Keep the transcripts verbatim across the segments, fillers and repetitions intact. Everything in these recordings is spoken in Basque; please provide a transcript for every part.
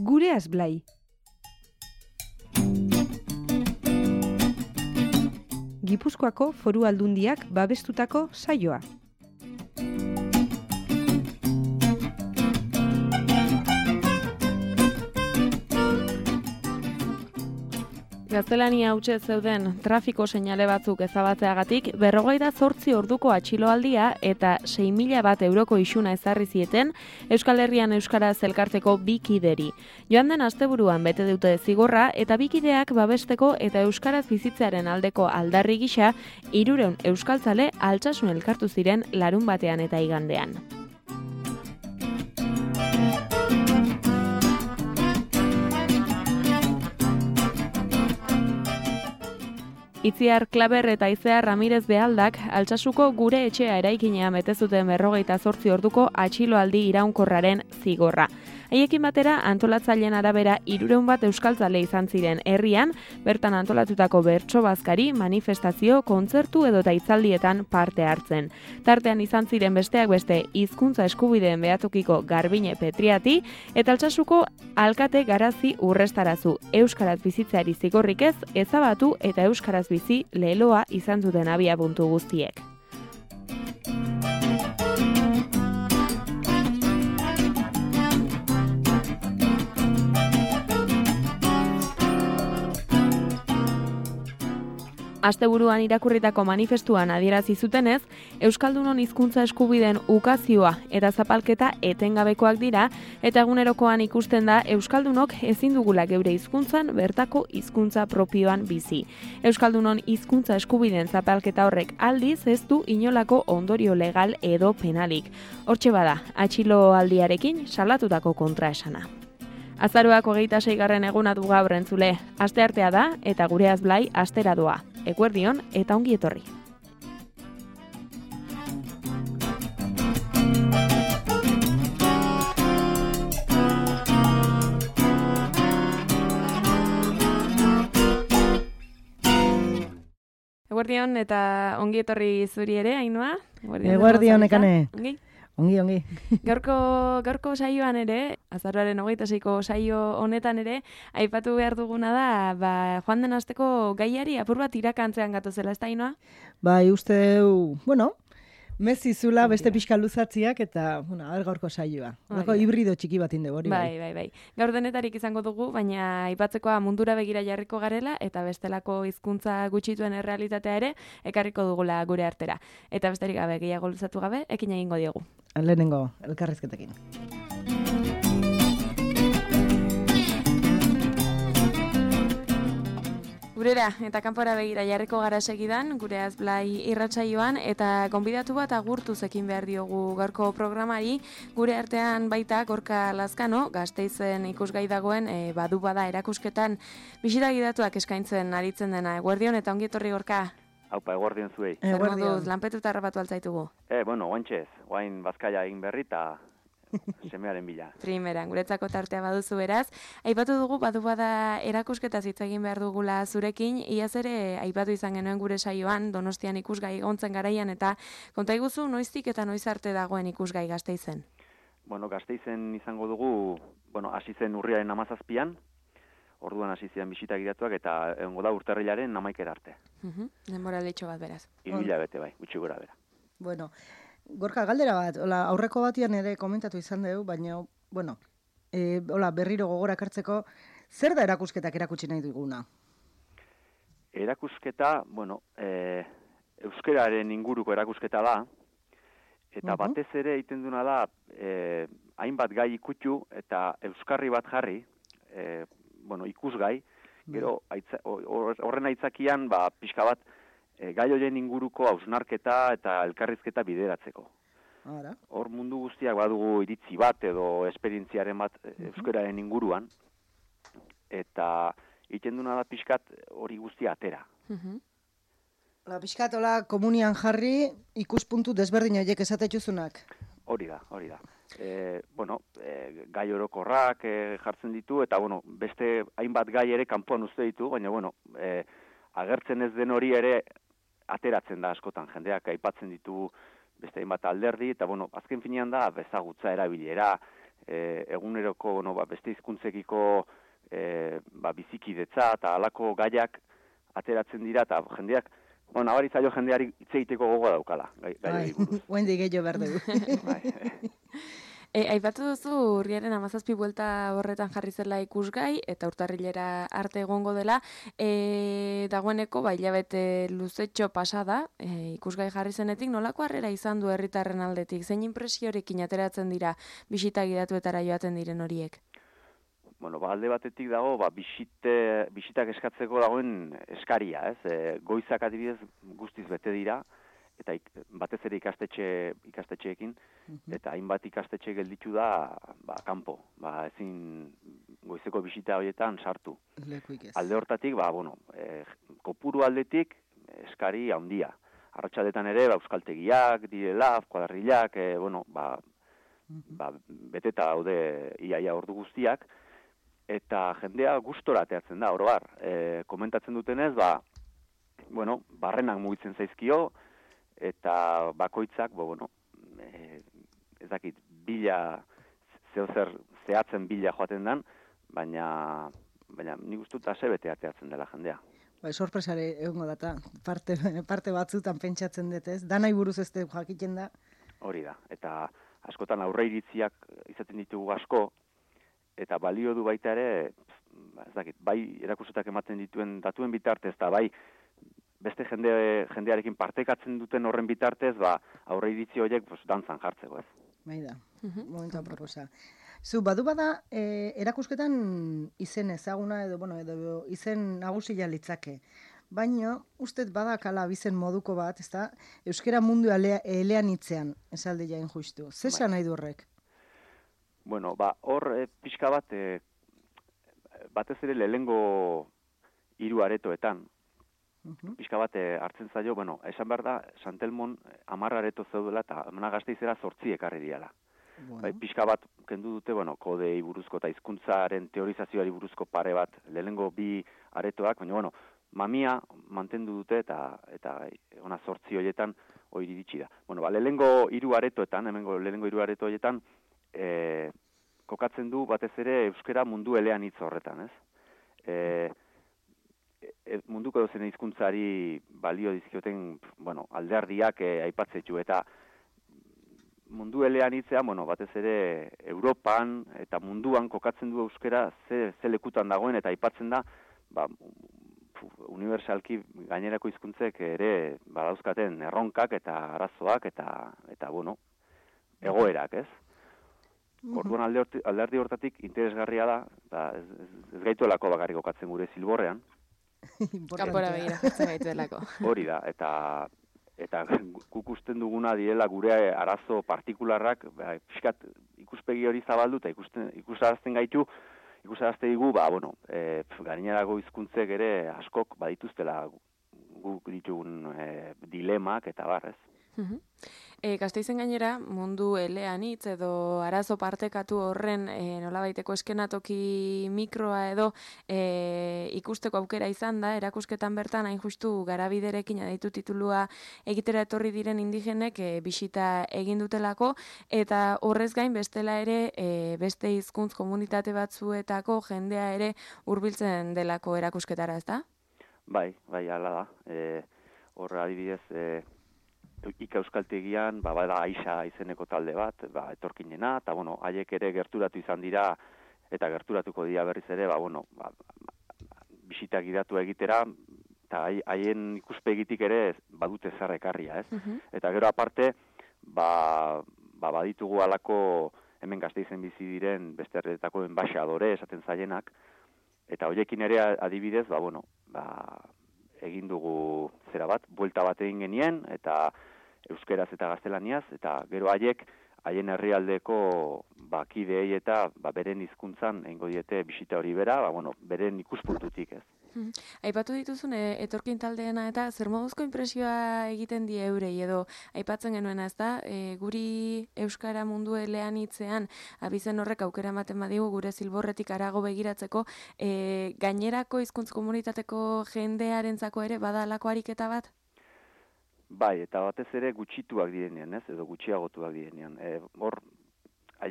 Gureaz Blai. Gipuzkoako Foru Aldundiak babestutako saioa. Gaztelania hautsa zeuden trafiko seinale batzuk ezabatzeagatik berrogeita zortzi orduko atxiloaldia eta sei mila bat euroko isuna ezarri zieten Euskal Herrian euskaraz elkarteko bi kideri. Joan den asteburuan bete dute zigorra eta bi kideak babesteko eta euskaraz bizitzearen aldeko aldarri gisa hirurehun euskaltzale Altsasun elkartu ziren larun batean eta igandean. Itziar Klaber eta Izea Ramirez Bealdak Altsasuko gure etxea eraikina bete zuten berrogeita zortzi orduko atxiloaldi iraunkorraren zigorra. Haiekin batera antolatzaileen arabera hirurehun bat euskaltzale izan ziren herrian, bertan antolatutako bertso bazkari, manifestazio, kontzertu edota hitzaldietan parte hartzen. Tartean izan ziren besteak beste hizkuntza eskubideen behatukiko Garbine Petriati eta Altsasuko alkate Garazi Urrestarazu euskaraz bizitzeari zigorrik ez, ezabatu eta euskaraz bizi leloa izan zuten abiapuntu guztiek. Asteburuan irakurritako manifestuan adierazi zutenez, Euskaldunon hizkuntza eskubideen ukazioa eta zapalketa etengabekoak dira eta egunerokoan ikusten da Euskaldunok ezin dugula geure hizkuntzan bertako hizkuntza propioan bizi. Euskaldunon hizkuntza eskubideen zapalketa horrek aldiz ez du inolako ondorio legal edo penalik. Hortxe bada, atxiloaldiarekin salatutako kontraesana. Azaroak hogeita seigarren eguna du gaur entzule. Asteartea da eta Gureaz Blai astera doa. Eguerdion eta ongi etorri. Eguerdion eta ongi etorri zuri ere, Ainhoa? Eguerdion, Ekane. Ongi? Ongi, ongi. Gaurko, gaurko saioan ere, azaroaren hogeita seiko saio honetan ere, aipatu behar duguna da, ba, joan den asteko gaiari apur bat irakantzean gatozela, ez da, Ainhoa? Bai, uste, bueno, mezizula beste pixka luzatziak eta, bueno, aber gaurko saioa. Gaurko hibrido txiki bat inde hori. Bai, bai, bai. Gaur denetarik izango dugu, baina aipatzekoa mundura begira jarriko garela eta bestelako hizkuntza gutxituen errealitatea ere ekarriko dugula gure artera. Eta besterik gabe gehiago luzatu gabe, ekin egingo diogu. Lehenengo elkarrizketekin. Gurera eta kanpora begira jarriko gara segidan, Gureaz Blai irratsaioan eta gonbidatu bat agurtuz ekin behar diogu gaurko programari, gure artean baita Gorka Lazkano, Gasteizen ikusgai dagoen e, badu bada erakusketan bisita gidatuak eskaintzen aritzen dena. Eguerdion eta ongi etorri Gorka. Haupa, eguerdion zuei. Zer moduz, lanpetuta harrapatu altzaitugu? Eh, bueno, oantxez, guain bazkaia egin berri eta semearen bila. Primeran, guretzako tartea baduzu beraz. Aipatu dugu, badu bada erakusketa hitz egin behar dugula zurekin, iaz ere aipatu izan genuen gure saioan, Donostian ikusgai egontzen garaian, eta konta iguzu noiztik eta noiz arte dagoen ikusgai Gasteizen? Bueno, Gasteizen izango dugu, bueno, hasi zen urriaren hamazazpian, orduan hasi ziren bisita gidatuak eta egongo da urtarrilaren hamaikera arte. Uh-huh. Denbora leitxo bat beraz. Hiru hilabete bai, gutxi gora bera. Bueno, Gorka, galdera bat, hola, aurreko batian ere komentatu izan dugu, baina, bueno, e, hola, berriro gogora kartzeko, zer da erakusketak erakutsi nahi duguna? Erakusketa, bueno, e, euskararen inguruko erakusketa da, eta uh-huh. batez ere egiten duna da, e, hainbat gai ikutu eta euskarri bat jarri, e, bueno, ikusgai, gero aitza, horren aitzakian, ba, pixka bat, e, gai horien inguruko hausnarketa eta elkarrizketa bideratzeko. Ara. Hor mundu guztiak badugu iritzi bat edo esperientziaren bat uh-huh. euskararen inguruan, eta egiten duna da pixkat hori guztia atera. Uh-huh. La pixkat, hola, komunian jarri ikuspuntu desberdin horiek esatetxuzunak. Hori da, hori da. E, bueno, e, gai orokorrak e, jartzen ditu, eta bueno, beste hainbat gai ere kanpoan uzte ditu, baina bueno, e, agertzen ez den hori ere ateratzen da askotan, jendeak aipatzen ditu beste hainbat alderdi, eta bueno, azken finean da bezagutza erabilera, e, eguneroko bueno, ba, beste hizkuntzekiko e, ba, bizikidetza eta halako gaiak ateratzen dira, eta jendeak, bueno, nabaritzaio jendeari hitz egiteko gogoa daukala, gai, gai buruz. Huendi gehiago behar dugu. E, aipatu duzu urriaren hamazazpi buelta horretan jarri zela ikusgai eta urtarrilera arte egongo dela. E, dagoeneko ba hilabete luzetxo pasada, e, ikusgai jarri zenetik nolako harrera izan du herritarren aldetik? Zein inpresiorekin ateratzen dira bisita gidatuetara joaten diren horiek? Bueno, ba, alde batetik dago, ba, bisite, bisitak eskatzeko dagoen eskaria, ez? E, goizak adibidez guztiz bete dira, eta ik, batez ere ikastetxe, ikastetxeekin, eta hainbat ikastetxe gelditu da, ba, kanpo, ba, ezin goizeko bisita horietan sartu. Alde hortatik, ba, bueno, e, kopuru aldetik eskari handia. Arratsaldetan ere, ba, euskaltegiak, direla, kuadrillak, e, bueno, ba, ba, beteta daude iaia ordu guztiak, eta jendea gustora ateatzen da, oro har. E, komentatzen dutenez, ba, bueno, barrenak mugitzen zaizkio, eta bakoitzak, bo, bueno, e, ez dakit, bila, zeo zer zehatzen bila joaten dan, baina, baina nik uste dut asebete ateatzen dela jendea. Ba, sorpresare egongo data, parte, parte batzutan pentsatzen dut ez, danai buruz ez dut jakiten da. Hori da, eta askotan aurre iritziak izaten ditugu asko, eta balio du baita ere, ez dakit, bai erakusetak ematen dituen datuen bitartez, eta bai beste jende, jendearekin partekatzen duten horren bitartez, ba, aurre iritzi horiek pues, dantzan jartzeko, ez. Bai da, momentuan proposa. Zu, badu bada, e, erakusketan izen ezaguna edo, bueno, edo izen nagusia litzake. Baina, ustez badakala bizen moduko bat, ez da, euskera mundu elean itzean, esalde jain justu. Zesan nahi du horrek? Bueno, ba, hor e, pixka bat, e, batez ere lehengo hiru aretoetan, Uh-huh. Pixka bat hartzen zaio, bueno, esan behar da, Santelmon hamar areto zeudela eta Amana Gasteizera zortzi ekarri diala. Bueno. Bai, pixka bat kendu dute, bueno, kodei buruzko eta hizkuntzaren teorizazioari buruzko pare bat lehenengo bi aretoak, baina, bueno, mamia mantendu dute eta eta ona zortzi horietan hori iritsi da. Bueno, ba, lehenengo hiru aretoetan, hemengo lehenengo hiru areto horietan, e, kokatzen du batez ere euskera mundu elean hitz horretan, ez? E, munduko dozen hizkuntzari balio dizkioten, bueno, alderdiak eh, aipatzetxu, eta mundu elean hitzean, bueno, batez ere Europan eta munduan kokatzen du euskera ze, ze lekutan dagoen, eta aipatzen da, ba, unibersalki gainerako hizkuntzek ere badauzkaten erronkak eta arazoak eta, eta bueno, egoerak, ez? Orduan alderdi hortatik interesgarria da, da ez, ez, ez gaituelako bakarrik kokatzen gure Zilborrean, kanpora begira jartzen gaituelako. Hori da, eta eta guk usten duguna direla gure arazo partikularrak, ba, fiskat ikuspegi hori zabaldu eta ikusten ikusarazten gaitu, ikusarazte digu, ba bueno, eh gainerako hizkuntzek ere askok badituztela guk ditugun e, dilemak eta barrez. Uh-huh. E, Gasteizen gainera, mundu elean hitz edo arazo partekatu horren e, nolabaiteko eskenatoki mikroa edo e, ikusteko aukera izan da, erakusketan bertan hain justu Garabiderekin aditu titulua egitera etorri diren indigenek e, bisita egin dutelako, eta horrez gain bestela ere e, beste hizkuntz komunitate batzuetako jendea ere hurbiltzen delako erakusketara, ezta? Bai, bai, hala da. E, horra adibidez, e, Ika Euskaltegian, ba, bada Aixa izeneko talde bat, ba, etorkinena, eta, bueno, haiek ere gerturatu izan dira, eta gerturatuko dira berriz ere, ba, bueno, ba, bisita gidatu egitera, eta haien ikuspegitik ere badute zer ekarria, ez? Uh-huh. Eta gero aparte, ba, ba, baditugu alako hemen Gasteizen bizi diren beste herrietako enbaxadore esaten zaienak, eta hoiekin ere adibidez, ba, bueno, ba, egin dugu zera bat, buelta bat egin genien, eta euskeraz eta gaztelaniaz, eta gero haiek, haien herrialdeko bakideei eta ba, beren hizkuntzan egingo diete bisita hori bera, ba, bueno, beren ikuspuntutik ez. Hmm. Aipatu dituzun, e, etorkin taldeena eta zer moduzko inpresioa egiten die eurei edo aipatzen genuena, ez da? E, guri euskara mundu elean hitzean abizen horrek aukera ematen badigu gure Zilborretik harago begiratzeko, e, gainerako hizkuntz komunitateko jendearentzako ere bada halako ariketa bat? Bai, eta batez ere gutxituak direnean, ez? Edo gutxiagotuak direnean. E, hor,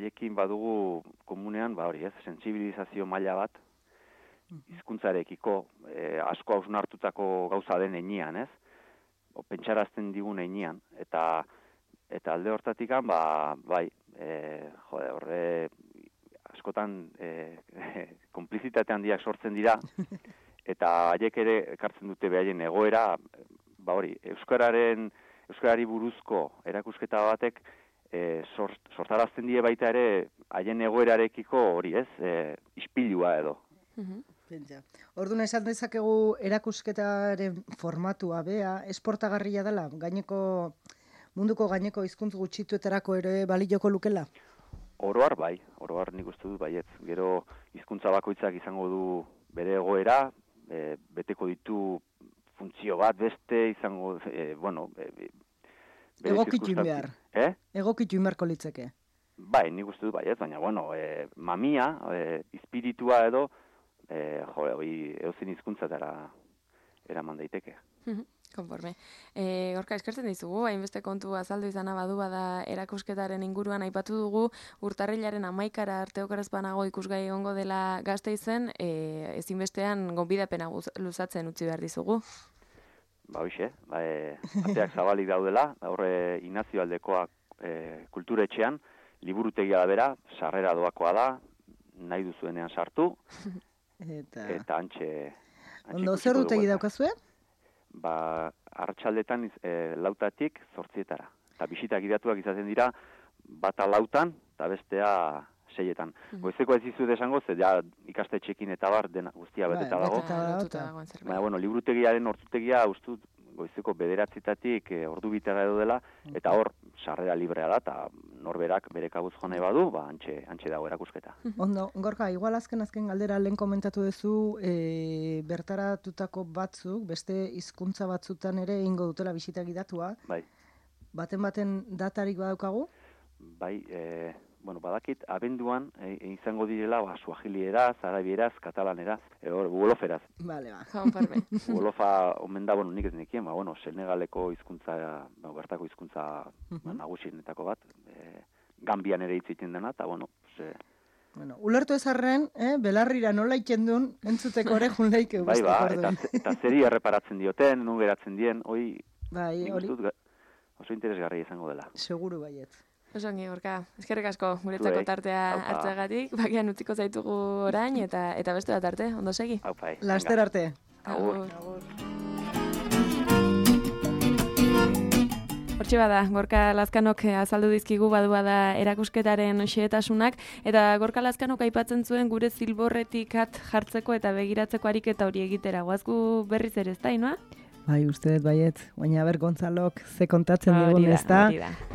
haiekin badugu komunean, ba hori ez, sentsibilizazio maila bat, hizkuntzarekiko e, asko hausnartutako gauza den heinean, ez? O, pentsarazten digun heinean, eta eta alde hortatikan, ba, bai, e, jode, horre askotan e, konplizitate handiak sortzen dira, eta haiek ere ekartzen dute behaien egoera, ba hori, euskararen, euskarari buruzko erakusketa batek e, sort, sortarazten die baita ere haien egoerarekiko hori, ez, e, ispilua edo. Pentsa. Orduan esan dezakegu erakusketaren formatua bea, esportagarria dela, gaineko munduko gaineko hizkuntz gutxituetarako ere balioko lukela? Oroar bai, oroar nik uste dut baietz. Gero hizkuntza bakoitzak izango du bere egoera, e, beteko ditu funtzio bat beste izango, e, bueno, e, egokitu behar. Eh? Egokitu beharko litzeke. Bai, nik uste dut baietz, baina bueno, e, mamia, e, espiritua edo, e, jo, hori edozein hizkuntzatara eraman daiteke. Konforme. E, Gorka, eskertzen dizugu, hainbeste kontu azaldu izana badu bada erakusketaren inguruan aipatu dugu, urtarrilaren hamaikara arte okeraz banago ikusgai egongo dela Gasteizen, e, ezinbestean gonbidapena luzatzen utzi behar dizugu. Ba, hoxe, ba, e, ateak zabalik daudela, horre Inazio Aldekoa e, kulturetxean, liburutegia da bera, sarrera doakoa da, nahi duzuenean sartu, eta, eta antxe... Ondo, zer dutegi daukazue? Ba, arratsaldetan e, lautatik zortzietara. Eta bisitak gidatuak izaten dira, bata lautan, eta bestea seietan. Mm. Goizeko ez dizu desango, ze ja ikastetxekin eta bar, dena guztia beteta dago. Baina, bueno, liburutegiaren ordutegia, ustut, goizeko bederatzitatik e, ordu bitera edo dela, eta hor, sarrera librea da, eta norberak bere kabuz jo nahi badu, ba, antxe, antxe dago erakusketa. Ondo, Gorka, igual azken azken galdera lehen komentatu duzu, e, bertaratutako batzuk, beste hizkuntza batzutan ere ingo dutela bisita gidatua. Bai. Baten baten datarik badaukagu? Bai, e, bueno, badakit, abenduan e, e, izango direla, ba, suajilieraz, arabieraz, katalaneraz, e, hor, uoloferaz. Vale, ba. Uolofa, omen da, bueno, nik ez nekien, ba, bueno, Senegaleko hizkuntza, ba, bertako hizkuntza ba, nagusienetako bat, e, Gambian ere hitz egiten dena, eta, bueno, ze... Bueno, ulertu ezarren, eh, belarrira nola itxendun, entzuteko ere jun leike bai, ba, eta, eta zeri erreparatzen dioten, nun geratzen dien, hoi, bai, nik uste oso interesgarria izango dela. Seguru baiet. Osongi, Gorka, eskerrik asko guretzako tartea hartzeagatik, bakian utziko zaitugu orain, eta eta beste bat arte, ondo segi? Aupai. Laster arte. Agur. Hortxe bada, Gorka Lazkanok azaldu dizkigu badu bada erakusketaren xehetasunak, eta Gorka Lazkanok aipatzen zuen gure zilborretik at jartzeko eta begiratzeko ariketa hori egitera. Guazgu berriz ere ez da, inoa? Bai, uste dut baiet, baina ber Gonzalok ze kontatzen digun ez da.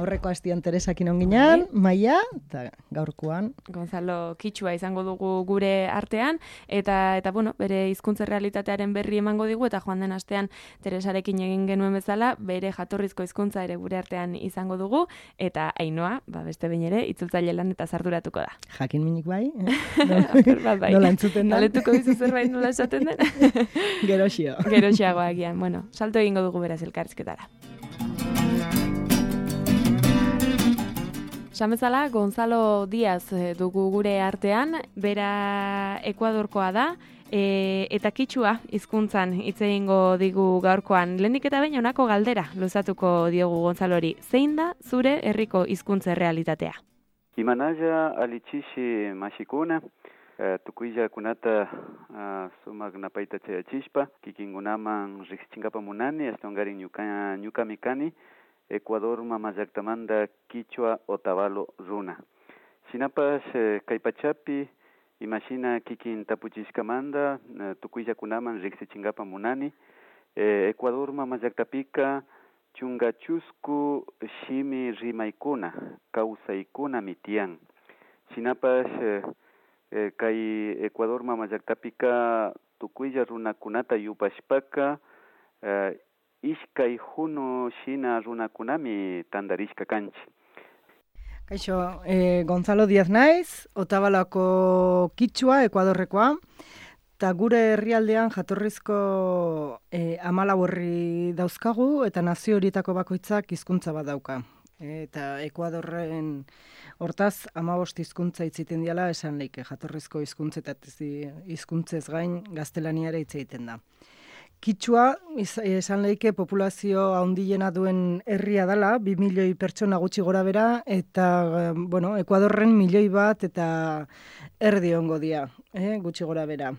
Aurreko hastian Teresakin onginan, Maia, eta gaurkoan. Gonzalo Kitsua izango dugu gure artean, eta, eta bueno, bere hizkuntza realitatearen berri emango digu, eta joan den astean Teresarekin egin genuen bezala, bere jatorrizko hizkuntza ere gure artean izango dugu, eta Ainoa, ba, beste behin ere, itzultzaile lan eta zarduratuko da. Jakin minik bai, eh? bai. Nola entzuten da. Galetuko bizu zerbait nola esaten den? Geroxio. Geroxiago agian, bueno. Salto egingo dugu beraz elkarrizketara. Samezala, Gonzalo Diaz dugu gure artean, bera Ekuadorkoa da, e, eta Kitsua hizkuntzan hitz egingo digu gaurkoan. Lehenik eta behin honako galdera luzatuko diogu Gonzalori. Zein da zure herriko hizkuntza realitatea? Imanaja alichishi mashikuna. Uh, tukuija kunata uh, sumak napaita chaya chispa kikingunaman rixchingapa munani estongari nyuka nyuka mikani Ecuador mamazaktamanda Kichwa Otavalo runa sinapas uh, kaipachapi imagina kikin tapuchiskamanda uh, tukuija kunaman rixchingapa munani uh, Ecuador mamazaktapika chungachusku shimi rimaikuna kausaikuna mitian sinapas uh, Eh, kai Ecuador mamayaktapika tukuilla runakunata yupashpaka eh, ishkai juno shina runakunami tandarishka kanchi. Kaixo, eh, Gonzalo Diaz naiz, Otabalako Kitsua, Ekuadorrekoa, eta gure herrialdean jatorrizko eh, amalau herri dauzkagu, eta nazio horietako bakoitzak hizkuntza bat dauka. Eta Ekuadorren hortaz hamabost hizkuntza itziten diala esan leike, jatorrizko hizkuntzetaz hizkuntzez gain gaztelaniara hitz egiten da. Kitxua esan leike populazio handiena duen herria dela, bi milioi pertsona gutxi gora bera, eta bueno, Ekuadorren milioi bat eta erdi ongo dia, eh, gutxi gora bera.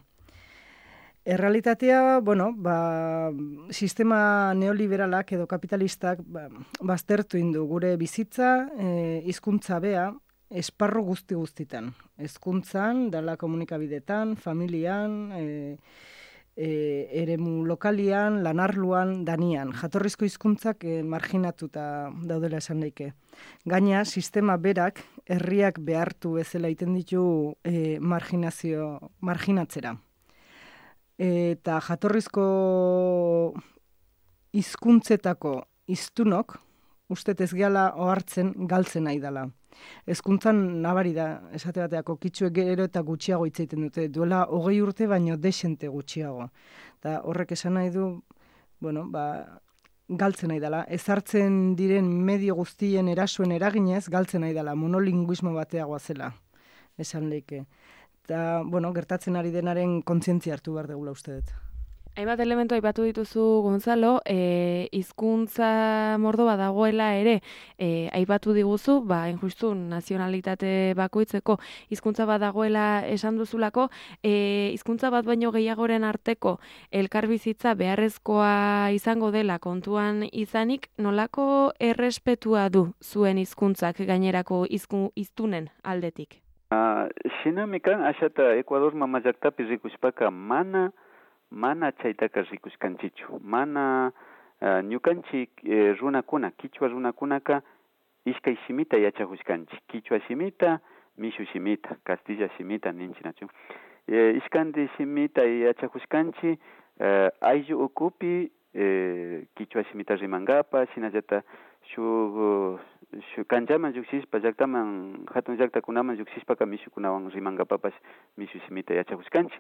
Errealitatea, bueno, ba, sistema neoliberalak edo kapitalistak ba, baztertu indu gure bizitza, e, hizkuntza bea, esparru guzti guztitan. Hezkuntzan, dala komunikabidetan, familian, e, e, eremu lokalian, lanarluan, danian. Jatorrizko hizkuntzak e, marginatuta daudela esan daike. Gaina, sistema berak, herriak behartu bezala iten ditu e, marginazio, marginatzera. Eta jatorrizko hizkuntzetako hiztunok, uste ez gehala ohartzen galtzen nahi dela. Hezkuntzan nabari da, esate bateako kitxuek gero eta gutxiago hitz egiten dute, duela hogei urte baino desente gutxiago. Eta horrek esan nahi du, bueno, ba, galtzen nahi dela. Ezartzen diren medio guztien erasoen eraginez, galtzen nahi dela, monolinguismo bateagoa zela, esan leike. Eta, bueno, gertatzen ari denaren kontzientzia hartu behar degula uste dut. Hainbat elementu aipatu dituzu, Gonzalo, e, hizkuntza mordo badagoela ere, e, aipatu diguzu, ba, injustu nazionalitate bakoitzeko hizkuntza badagoela esan duzulako, e, hizkuntza bat baino gehiagoren arteko elkarbizitza beharrezkoa izango dela kontuan izanik, nolako errespetua du zuen hizkuntzak gainerako hiztunen aldetik? Uh, Xinamikan, axata Ekuador mamajaktapi rikuspaka mana, mana chaitaka rikuskanchichu. Mana uh, ñukanchik eh, runakuna, kichwa runakunaka, ishkay shimita yachahuskanchi. Kichwa shimita, mishu shimita, Castilla shimita ninchinachu. Eh, ishkandi shimita yachahuskanchi, eh, ayllu ukupi, eh, kichwa shimita rimangapa, shinallata shu shu kanjaman yuksispa llaktaman hatun llaktakunaman yuksispa mishukunawan rimangapapas mishu simita yachahuskanchi.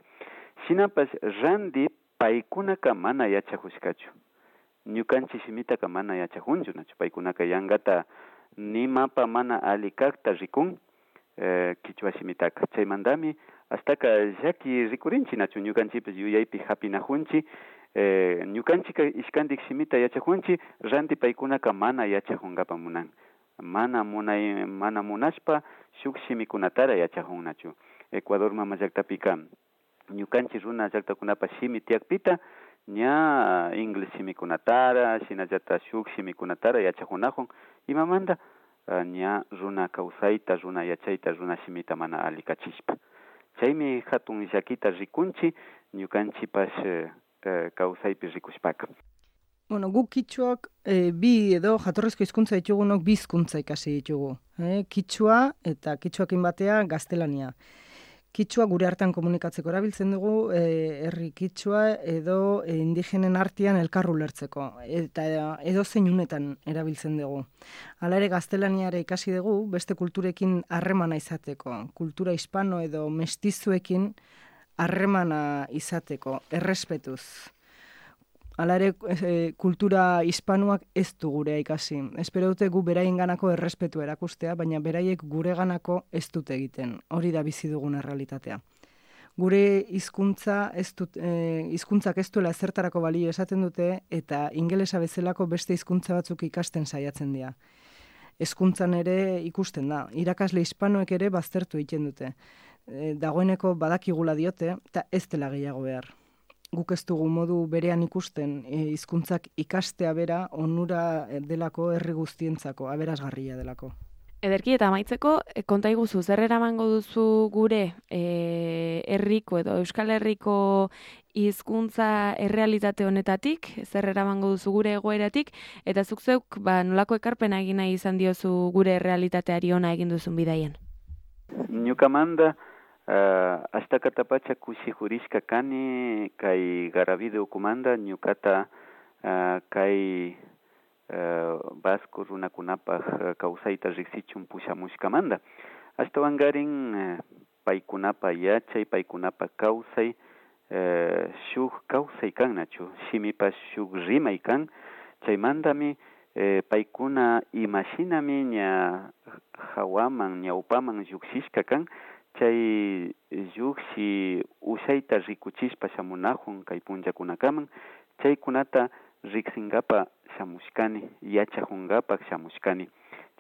Shinapas randi paykunaka mana yachahuskachu. Ñukanchi simitaka mana yachahunchu nachu. Paykunaka yangata nimapa mana alikakta rikun eh, kichwa simitaka. Chaymandami hastaka llaki rikurinchi nachu. Ñukanchipis yuyaypi hapinahunchi. Eh, ñukanchika ishkandik simita yachahunchi, randi paykunaka mana yachahungapa munan. Mana munay, mana munashpa, shuk shimikunatara yachahunnachu. Ecuador mama llaktapika, ñukanchi runa llaktakunapa shimi tiakpita, ña inglés shimikunatara, shinallata shuk shimikunatara yachahunahun, imamanda, ña runa kausayta, runa yachayta, runa shimita mana alikachishpa. Chaymi hatun llakita rikunchi, ñukanchipas eh, kausaypi rikushpaka. Bueno, guk kitxuak e, bi edo jatorrizko hizkuntza ditugunok bi hizkuntza ikasi ditugu. E, kitxua eta kitxuakin batea gaztelania. Kitxua gure hartan komunikatzeko erabiltzen dugu, e, herri kitxua edo e, indigenen artean elkar ulertzeko. Eta edo zein unetan erabiltzen dugu. Hala ere gaztelaniare ikasi dugu beste kulturekin harremana izateko. Kultura hispano edo mestizuekin harremana izateko, errespetuz. Hala ere, e, kultura hispanuak ez du gurea ikasi. Espero dute gu beraien ganako errespetu erakustea, baina beraiek gure ganako ez dute egiten. Hori da bizi duguna realitatea. Gure hizkuntza ez dut, e, hizkuntzak ez duela ezertarako balio esaten dute, eta ingelesa bezalako beste hizkuntza batzuk ikasten saiatzen dira. Hezkuntzan ere ikusten da. Irakasle hispanoek ere baztertu egiten dute. E, dagoeneko badakigula diote, eta ez dela gehiago behar. Guk ez dugu modu berean ikusten hizkuntzak e, ikastea bera onura delako herri guztientzako, aberasgarria delako. Ederki eta amaitzeko, konta iguzu, zer eramango duzu gure e, herriko edo Euskal Herriko hizkuntza errealitate honetatik, zer eramango duzu gure egoeratik, eta zuk zeuk ba, nolako ekarpena egin nahi izan diozu gure errealitateari ona egin duzun bidaien? Ñukamanda, Uh, hasta katapacha kushihurishka kani kai garavide ukumanda ñukata uh, kai uh, vasco runakunapa kausayta riksichun pushamushkamanda. Hasta wangarin uh, paikunapa yachay, paikunapa kausay, uh, shuk kausay kan nachu, shimipa shuk rimay kan, chaymandami e, paikuna imaginami nia jawaman, nia upaman yuksishkakan, chay yuksi usayta rikuchispa shamunahun kay punllakunakaman, chaykunata riksingapa shamushkani, yachahungapak shamushkani.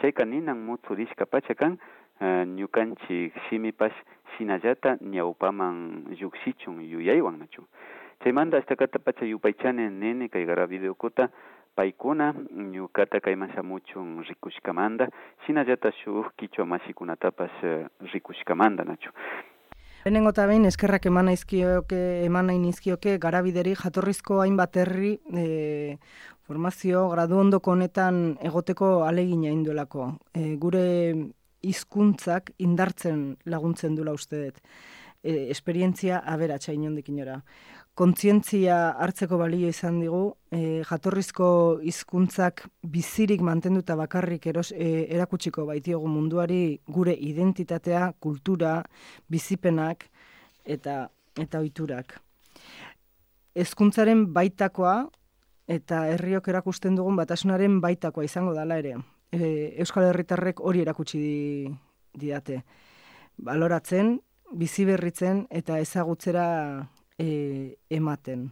Chayka ninan mutsurishka pachakan, uh, ñukanchik shimipash shinallata ñawpaman llukshichun yuyaywan nachu. Chaymanta ashtakata pacha yupaychani nene kay gara videokuta paykuna ñukata kayman shamuchun rikushkamanda, shinallata shuk kichwa masikunatapash uh, rikushkamanda nachu. Lehenengo eta behin eskerrak eman naizkioke, eman nahi nizkioke garabideri jatorrizko hainbat herri e, formazio gradu ondoko honetan egoteko alegina induelako. E, gure hizkuntzak indartzen laguntzen dula uste dut. E, esperientzia aberatsa inondik inora. Kontzientzia hartzeko balio izan digu, e, jatorrizko hizkuntzak bizirik mantenduta bakarrik eros, e, erakutsiko baitiogu munduari gure identitatea, kultura, bizipenak eta eta ohiturak. Hezkuntzaren baitakoa eta herriok erakusten dugun batasunaren baitakoa izango dala ere. E, Euskal Herritarrek hori erakutsi di, didate. Baloratzen, biziberritzen eta ezagutzera E, ematen.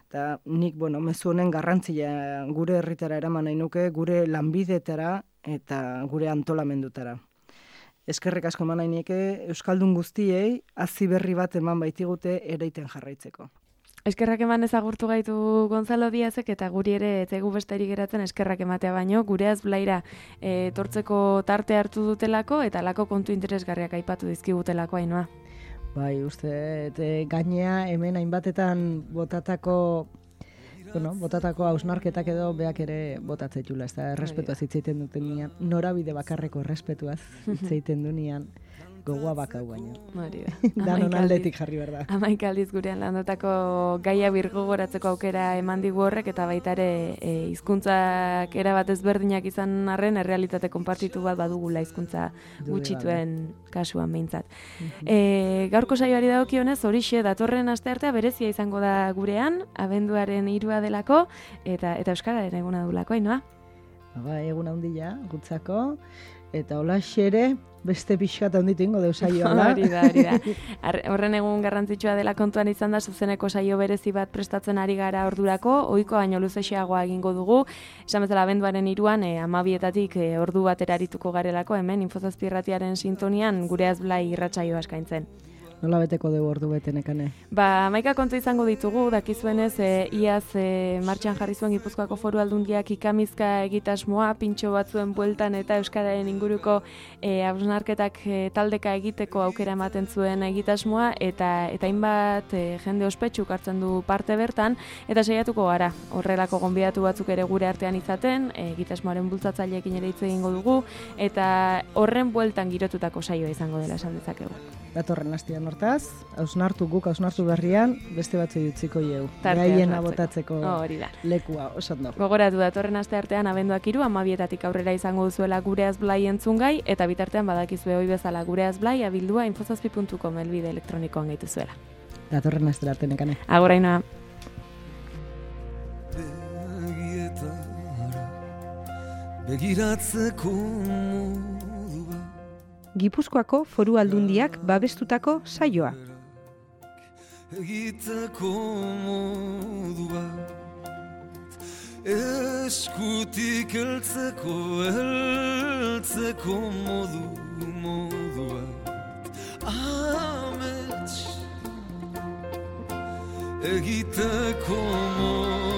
Eta nik, bueno, mezu honen garrantzia gure herritara eraman nahi nuke, gure lanbidetara eta gure antolamendutara. Eskerrik asko eman nahi nieke Euskaldun guztiei hazi berri bat eman baitigute ereiten jarraitzeko. Eskerrak eman ezagurtu gaitu Gonzalo Diazek eta guri ere etzegu besterik geratzen eskerrak ematea baino, gure azblaira e, tortzeko tarte hartu dutelako eta lako kontu interesgarriak aipatu dizkigutelako Ainoa. Bai, uste, e, gainea hemen hainbatetan botatako, bueno, botatako hausnarketak edo beak ere botatzetxula, ez da, errespetuaz hitzeiten duten nian, norabide bakarreko errespetuaz hitzeiten du nian, gogoa bakau baina. Danon aldetik jarri behar da. Hamaik aldiz gurean landotako gaia birgogoratzeko aukera eman digu horrek, eta baita ere e, hizkuntzak erabat ezberdinak izan arren, errealitate konpartitu bat badugula hizkuntza gutxituen kasuan behintzat. E, gaurko saioari dagokionez, horixe datorren asteartea berezia izango da gurean, abenduaren hirua delako, eta eta euskararen eguna dulako, Ainoa? Ba, eguna handia, gutzako, eta hola xere, beste pixkat handitu ingo deu saioa. Hori da, hori da. Horren egun garrantzitsua dela kontuan izan da, zuzeneko saio berezi bat prestatzen ari gara ordurako, ohiko baino luzexeagoa egingo dugu, esan bezala abenduaren hiruan, e, amabietatik e, ordu batera arituko garelako, hemen Infozazpi Irratiaren sintonian gure azblai irratsaioa eskaintzen. Nola beteko dugu ordu betenekane? Ba, hamaika kontu izango ditugu, dakizuenez, e, iaz e, martxan jarri zuen Gipuzkoako Foru Aldundiak ikamizka egitasmoa, pintxo batzuen bueltan eta euskararen inguruko e, hausnarketak e, taldeka egiteko aukera ematen zuen egitasmoa, eta eta hainbat e, jende ospetsuk hartzen du parte bertan, eta saiatuko gara, horrelako gonbidatu batzuk ere gure artean izaten, e, egitasmoaren bultzatzaileekin ere hitz egingo dugu, eta horren bueltan girotutako saioa izango dela esan dezakegu. Datorren astean hortaz, hausnartu guk, hausnartu berrian, beste batzu utziko ieu. Gaiena botatzeko lekua, oso ondo. Gogoratu datorren aste artean abenduak hiru, amabietatik aurrera izango duzuela gure azblai entzungai, eta bitartean badakizue hoi bezala gure azblai abildua infozazpi puntu com elbide elektronikoan gaitu zuela. Datorren aste arte nekane. Agur Ainoa. Begiratzeko Gipuzkoako Foru Aldundiak babestutako saioa. Egiteko modu bat, eskutik heltzeko, heltzeko modu, modu bat. Amets, egiteko modu